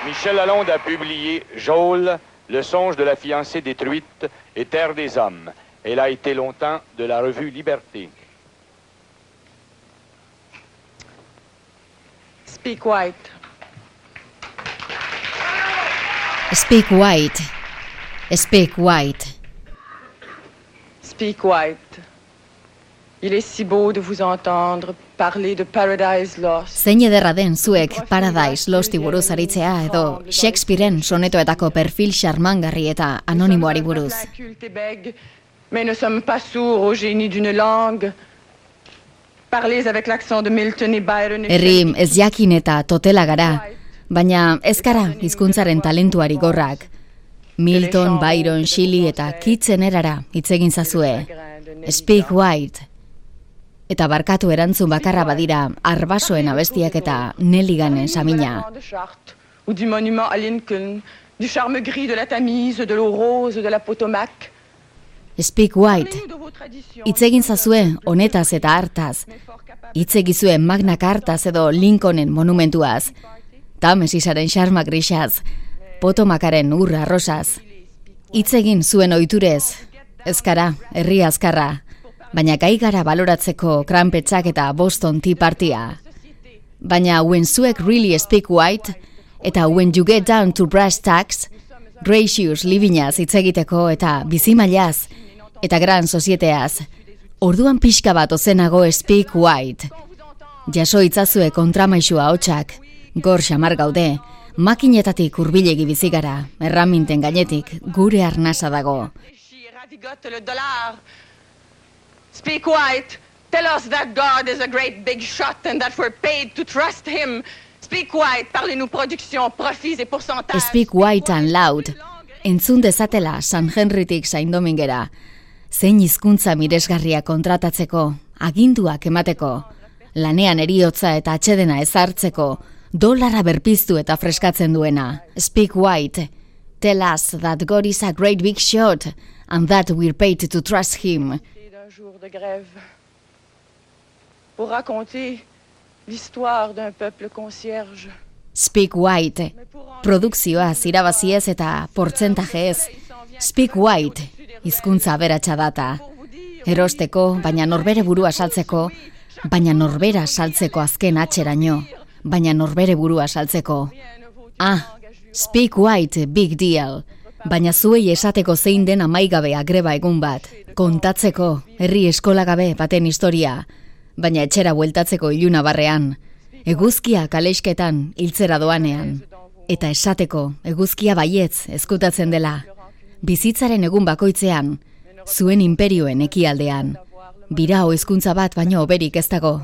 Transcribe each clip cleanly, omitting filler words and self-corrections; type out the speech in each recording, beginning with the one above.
Michel Lalonde a publié Jôle, le songe de la fiancée détruite et Terre des hommes. Elle a été longtemps de la revue Liberté. Speak white. Speak white. Speak white. Speak white. Il est si beau de vous entendre parler de Paradise Lost. Zein ederra den zuek Paradise Losti buruz aritzea edo Shakespearen sonetoetako perfil xarmangarri eta anonimoari buruz. Mais ne sommes pas sourds au génie d'une langue. Parlez avec l'accent de Milton et Byron. Herri ez jakin eta totela gara, baina ez gara hizkuntzaren talentuari gorrak. Milton, Byron, Shelley eta Keatsen erara hitz egin zazue. Speak white. Eta barkatu erantzun bakarra badira Arbasoen abestiak eta Nelliganen samina. Ou du monument à Lincoln, du charme gris de la Tamise, de l'eau rose de la Potomac. Speak white. Hitz egin zazue honetaz eta hartaz. Hitz egizue Magna Cartaz edo Lincolnen monumentuaz. Tamesisaren xarma grisaz. Potomacaren urra rosaz. Hitz egin zuen ohiturez. Ezkara, herri azkarra. Baina gai gara baloratzeko kranpetxak eta Boston Tea Partya. Baina when zuek really speak white, eta when you get down to brass tacks, gracious livinaz hitz egiteko eta bizimailaz, eta gran sozieteaz, orduan pixka bat ozenago speak white. Jaso itzazue kontramaixua hotxak, gor xamar gaude, makinetatik hurbilegi bizigara, erraminten gainetik gure arnasa dago. Speak white. Tell us that God is a great big shot and that we're paid to trust him. Speak white. Parlez-nous production, profits et pourcentages. Speak white and loud. Entzun dezatela San Henrytik Saint Domingera. Zein hizkuntza miresgarria kontratatzeko, aginduak emateko, lanean eriotza eta atsedena ezartzeko, dolara berpiztu eta freskatzen duena. Speak white. Tell us that God is a great big shot and that we're paid to trust him. Jour de grève pour raconter l'histoire d'un peuple concierge. Speak white. Produkzioa irabaziez eta portzentajeez. Speak white. Hizkuntza aberatsa data. Erosteko, baina norbere burua saltzeko, baina norbera saltzeko azken atzeraino, baina norbere burua saltzeko. Speak white, big deal. Baina zuei esateko zein den amaigabea greba egun bat. Kontatzeko, herri eskolagabe baten historia, baina etxera bueltatzeko iluna barrean, eguzkia kalexketan hiltzera doanean, eta esateko eguzkia baietz ezkutatzen dela, bizitzaren egun bakoitzean, zuen inperioen ekialdean, birao hizkuntza bat baino hoberik ez dago.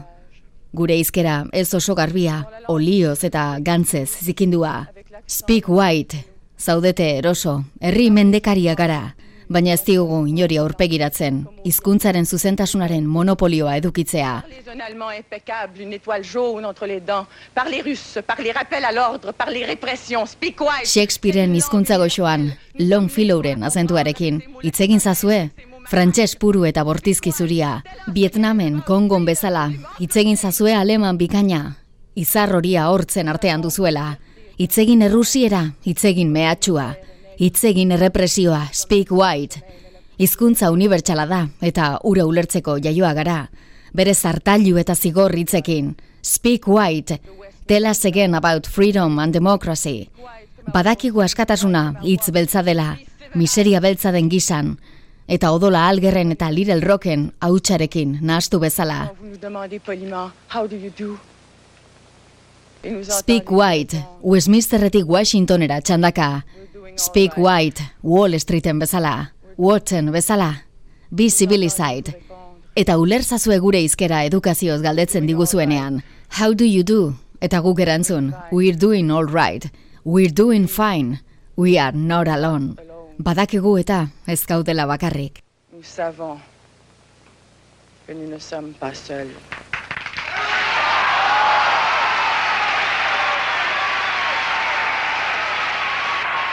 Gure hizkera ez oso garbia, olioz eta gantzez zikindua. Speak white, zaudete eroso, herri mendekaria gara, baina ez diogu inori aurpegiratzen, hizkuntzaren zuzentasunaren monopolioa edukitzea. Shakespearen hizkuntza goxoan, Longfellowren azentuarekin, hitz egin zazue, frantses puru eta bortizki zuria, Vietnamen, Kongon bezala, hitz egin zazue aleman bikaina, izar horia hortzen artean duzuela, hitz egin errusiera, hitz egin mehatxua, hitz egin errepresioa, speak white. Hizkuntza unibertsala da eta ura ulertzeko jaioa gara. Bere zartailu eta zigor hitzekin. Speak white. Tell us again about freedom and democracy. Badakigu askatasuna hitz beltza dela, miseria beltza den gizan, eta odola algerren eta Little Rocken hautsarekin nahastu bezala. Speak white. Westminsterretik Washingtonera txandaka. Speak white, Wall Streeten bezala, Watson bezala, be civilized. Eta ulerzazue gure hizkera edukazioz galdetzen diguzuenean. How do you do? Eta guk erantzun, we're doing all right, we're doing fine, we are not alone. Badakigu eta ez gaudela bakarrik. Nous savons que nous ne sommes pas seuls.